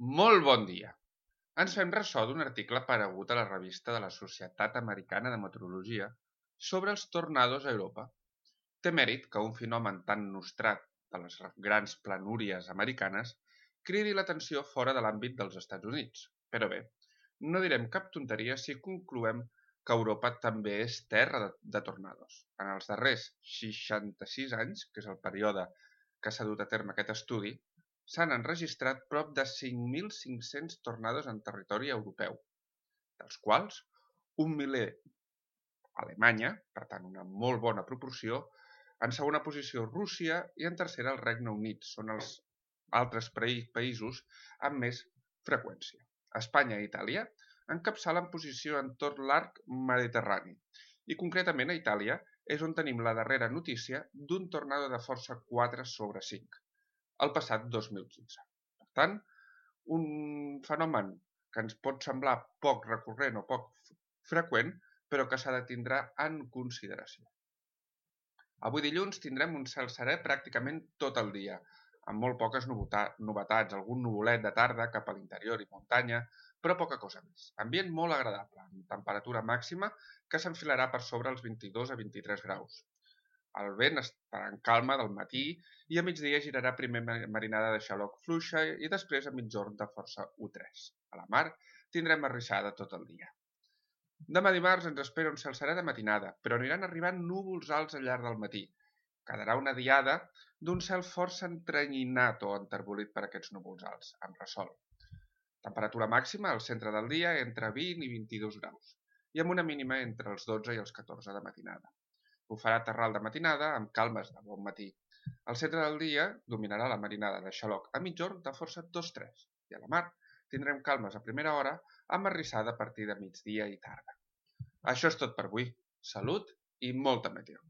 Molt bon dia! Ens fem ressò d'un article aparegut a la revista de la Societat Americana de Meteorologia sobre els tornados a Europa. Té mèrit que un fenomen tan nostrat de les grans planúries americanes cridi l'atenció fora de l'àmbit dels Estats Units. Però bé, no direm cap tonteria si concloem que Europa també és terra de tornados. En els darrers 66 anys, que és el període que s'ha dut a terme aquest estudi, s'han enregistrat prop de 5.500 tornados en territori europeu, dels quals un miler a Alemanya, per tant una molt bona proporció, en segona posició Rússia i en tercera el Regne Unit. Són els altres països amb més freqüència. Espanya i Itàlia encapçalen posició en tot l'arc mediterrani i concretament a Itàlia és on tenim la darrera notícia d'un tornado de força 4/5. El passat 2015. Per tant, un fenomen que ens pot semblar poc recurrent o poc freqüent, però que s'ha de tindre en consideració. Avui dilluns tindrem un cel serè pràcticament tot el dia, amb molt poques novetats, algun nuvolet de tarda cap a l'interior i muntanya, però poca cosa més. Ambient molt agradable, amb temperatura màxima que s'enfilarà per sobre els 22 a 23 graus. El vent estarà en calma del matí i a migdia girarà primer marinada de xaloc fluixa i després a migjorn de força U3. A la mar tindrem arrissada tot el dia. Demà dimarts ens espera un cel serè de matinada, però aniran arribant núvols alts al llarg del matí. Quedarà una diada d'un cel força entrenyinat o enterbolit per aquests núvols alts, amb ressol. Temperatura màxima al centre del dia entre 20 i 22 graus i amb una mínima entre els 12 i els 14 de matinada. Bufarà terral de matinada amb calmes de bon matí. Al centre del dia dominarà la marinada de xaloc a migjorn de força 2-3 i a la mar tindrem calmes a primera hora amb arrissada a partir de migdia i tarda. Això és tot per avui. Salut i molta meteo!